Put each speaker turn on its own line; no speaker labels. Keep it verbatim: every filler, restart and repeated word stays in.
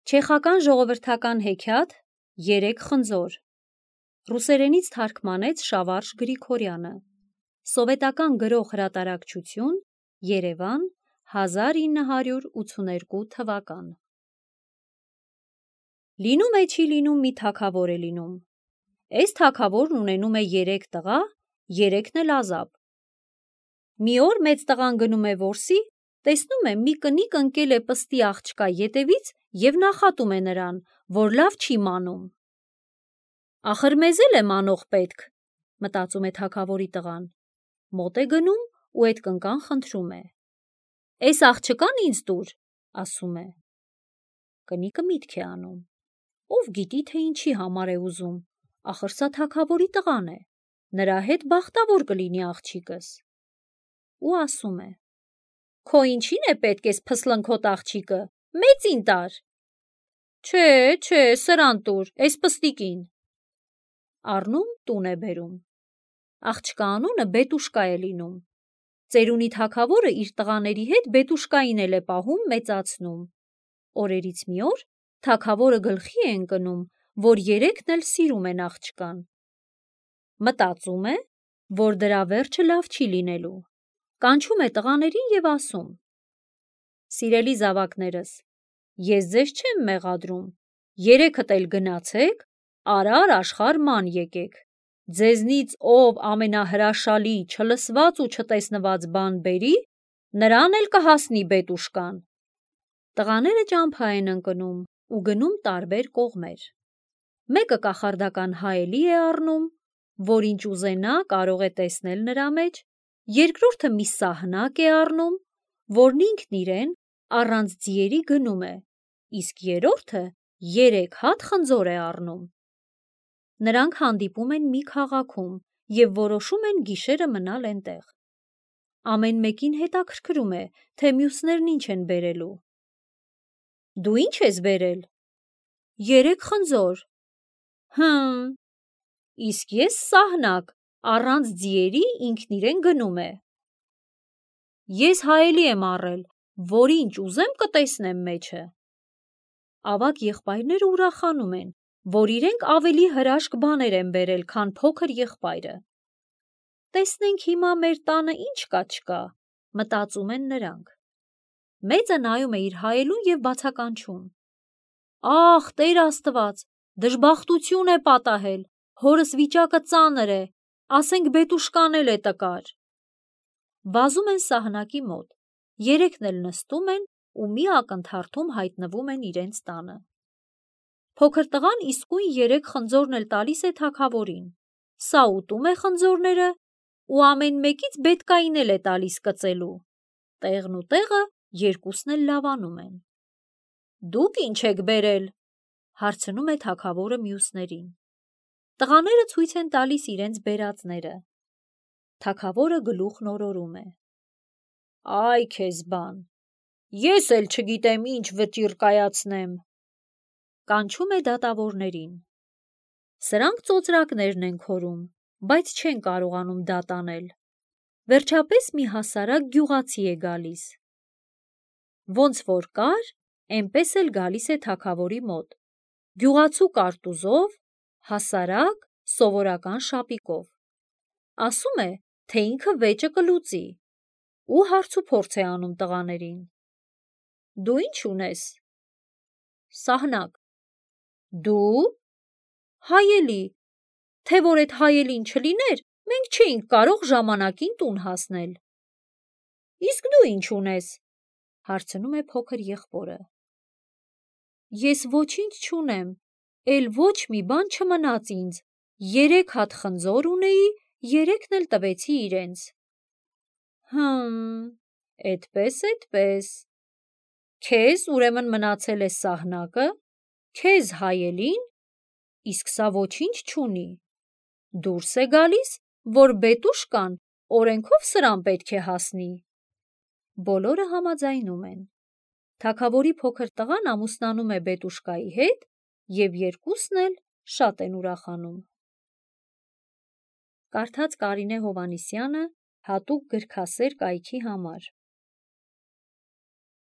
Չեխական ժողովրդական հեքիաթ «Երեք խնձոր» ռուսերենից թարգմանեց Շավարժ Գրիգորյանը, սովետական գրող հրատարակչություն, Երևան, հազար ինը հարյուր ութսուներկու թվական։ Լինում է չի լինում մի թագավոր է լինում։ Էս թագավորն ունենում է երեք տղա, երեքն էլ ազատ։ Մի օր մեծ տղան գնում է որսի, տեսնում է մի կնիկ ընկել է պստի աղջկա ետևից և նախատում է նրան, որ լավ չի մանում։ Ախր մեզ էլ է մանող պետք, մտածում է թագավորի տղան, մոտ է գնում ու էդ կնկան խնդրում է։ Էս աղջկան ինձ տուր, ասում է։ Կնիկը միտք է անում, ով գիտի, թե ինչի համար է ուզում, ախր սա թագավորի տղան է, նրա հետ բախտավոր կլինի աղջիկս։ Ու ասում է. Քո ինչին է պետք էս փսլնքոտ աղջիկը, մեծին տար։ Չէ, չէ, սրան տուր, էս պստիկին։ Առնում տուն է բերում։ Աղջկա անունը Բետուշկա է լինում։ Ծերունի թագավորը իր տղաների հետ Բետուշկային էլ է պահում, մեծացնում։ Օրերից մի օր թագավորը գլխի է ընկնում, որ երեքն էլ սիրում են աղջկան։ Մտածում է, որ դրա վերջը լավ չի լինելու։ Կանչում է տղաներին և ասում. Սիրելի զավակներս, ես ձեզ չեմ մեղադրում, երեքդ էլ գնացեք, արար աշխարհ ման եկեք, ձեզնից ով ամենահրաշալի, չլսված ու չտեսնված բան բերի, նրան էլ կհասնի Բետուշկան։ Տղաները ճամփա են ընկնում ու գնում տարբեր կողմեր։ Մեկը կախարդական հայելի է առնում, որ ինչ ուզենա կարող է տեսնել նրա մեջ, երկրորդը մի սահնակ է առնում, որն ինքն իրեն առանց ձիերի գնում է, իսկ երրորդը երեք հատ խնձոր է առնում։ Նրանք հանդիպում են մի քաղաքում և որոշում են գիշերը մնալ էնտեղ։ Ամեն մեկին հետաքրքրում է, թե մյուսներն ինչ են բերելու։ Դու ինչ ես բերել։ Երեք խնձոր։ Հմ, իսկ ես սահնակ, առանց ձիերի ինքն իրեն գնում է։ Ես հայելի եմ առել, որ ինչ ուզեմ կտեսնեմ մեջը։ Ավագ եղբայրները ուրախանում են, որ իրենք ավելի հրաշք բաներ են բերել, քան փոքր եղբայրը։ Տեսնենք հիմա մեր տանը ինչ կա չկա, մտածում են նրանք։ Մեծը նայում է իր հայելուն և բացականչում. Ախ, Տեր Աստված, դժբախտություն է պատահել, հորս վիճակը ծանր է, ասենք Բետուշկան էլ է տկար։ Վազում են սահնակի մոտ, երեքն էլ նստում են ու մի ակնթարթում հայտնվում են իրենց տանը։ Փոքր տղան իսկույն երեք խնձորն էլ տալիս է թագավորին, սա ուտում է խնձորները ու ամեն մեկից բետկային էլ է տալիս կծելու, տեղն ու տեղը երկուսն էլ լավանում են։ Դուք ինչ եք բերել, հարցնում է թագավորը մյուսներին։ Տղաները ցույց են տալիս իրենց բերածները։ Թագավորը գլուխն օրորում է. Այ քեզ բան, ես էլ չգիտեմ ինչ վճիռ կայացնեմ։ Կանչում է դատավորներին։ Սրանք ծոծրակներն են քորում, բայց չեն կարողանում դատ անել։ Վերջապես մի հասարակ գյուղացի է գալիս։ Ոնց որ կար, էնպես էլ գալիս է թագավորի մոտ, գյուղացու կարտուզով, հասարակ, սովորական շապիկով։ Ասում է, թե ինքը վեճը կլուծի ու հարց ու փորձ է անում տղաներին։ Դու ինչ ունես։ Սահնակ։ Դու։ Հայելի, թե որ էդ հայելին չլիներ, մենք չէինք կարող ժամանակին տուն հասնել։ Իսկ դու ինչ ունես, հարցնում է փոքր եղբորը։ Ես ոչինչ չունեմ, էլ ոչ մի բան չմնաց ինձ, երեք հատ խնձոր ունեի, երեքն էլ տվեցի իրենց։ Հմ, էդպես, էդպես։ Քեզ ուրեմն մնացել է սահնակը, քեզ հայելին, իսկ սա ոչինչ չունի։ Դուրս է գալիս, որ Բետուշկան օրենքով սրան պետք է հասնի։ Բոլորը համաձայնում են։ Թագավորի փոքր տղան ամուսնանում է Բետուշկայի հետ և երկուսն էլ շատ են ուրախանում։ Կարդաց Կարինե Հովհաննիսյանը հատուկ գրքասեր կայքի համար։